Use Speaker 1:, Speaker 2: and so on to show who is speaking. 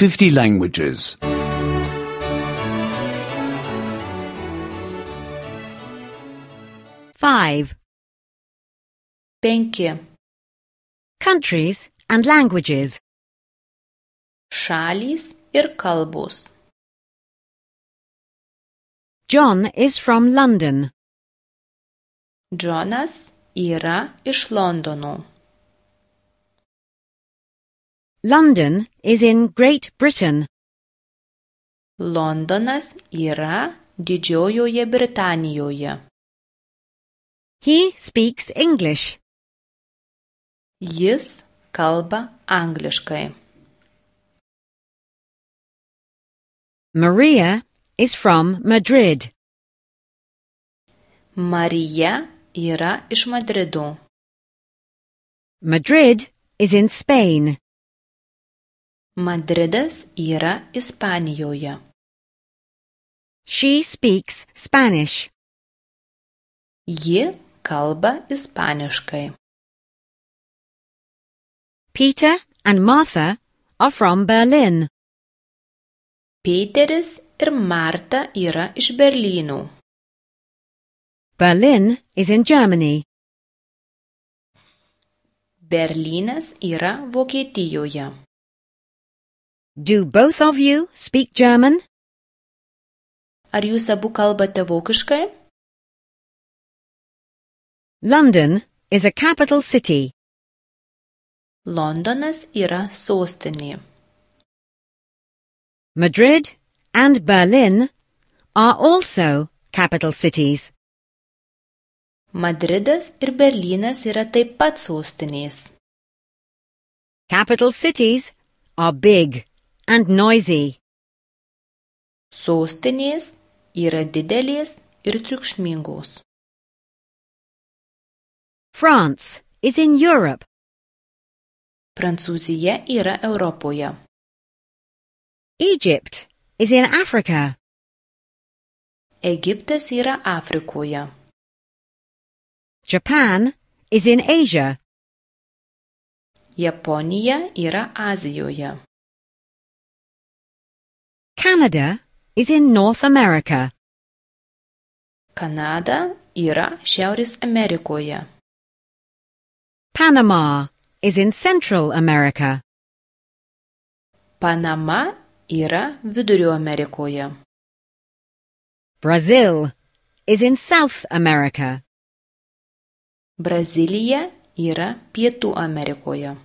Speaker 1: 50 languages.
Speaker 2: 5.
Speaker 3: 5.
Speaker 2: Countries and languages.
Speaker 3: Šalys ir kalbos.
Speaker 2: John is from London.
Speaker 3: Džonas yra iš Londono.
Speaker 2: London is in Great Britain.
Speaker 3: Londonas yra Didžiojoje Britanijoje.
Speaker 2: He speaks English.
Speaker 3: Jis kalba angliškai.
Speaker 2: Maria is from Madrid.
Speaker 3: Marija yra iš Madrido.
Speaker 2: Madrid is in Spain.
Speaker 3: Madridas yra Ispanijoje.
Speaker 2: She speaks Spanish.
Speaker 3: Ji kalba ispaniškai.
Speaker 2: Peter and Martha are from Berlin.
Speaker 3: Peteris ir Marta yra iš Berlyno.
Speaker 2: Berlin is in Germany.
Speaker 3: Berlynas yra Vokietijoje.
Speaker 2: Do both of you speak German?
Speaker 3: Ar jūs abu kalbate vokiškai?
Speaker 2: London is a capital city.
Speaker 3: Londonas yra sostinė.
Speaker 2: Madrid and Berlin are also capital cities.
Speaker 3: Madridas ir Berlynas yra taip pat sostinės.
Speaker 2: Capital cities are big and noisy.
Speaker 3: Sostinės yra didelės ir triukšmingos.
Speaker 2: France is in Europe.
Speaker 3: Prancūzija yra Europoje.
Speaker 2: Egypt is in Africa.
Speaker 3: Egiptas yra Afrikoje.
Speaker 2: Japan is in Asia.
Speaker 3: Japonija yra Azijoje.
Speaker 2: Canada is in North America.
Speaker 3: Kanada yra Šiaurės Amerikoje.
Speaker 2: Panama is in Central America.
Speaker 3: Panama yra Vidurio Amerikoje.
Speaker 2: Brazil is in South America.
Speaker 3: Brazilija yra Pietų Amerikoje.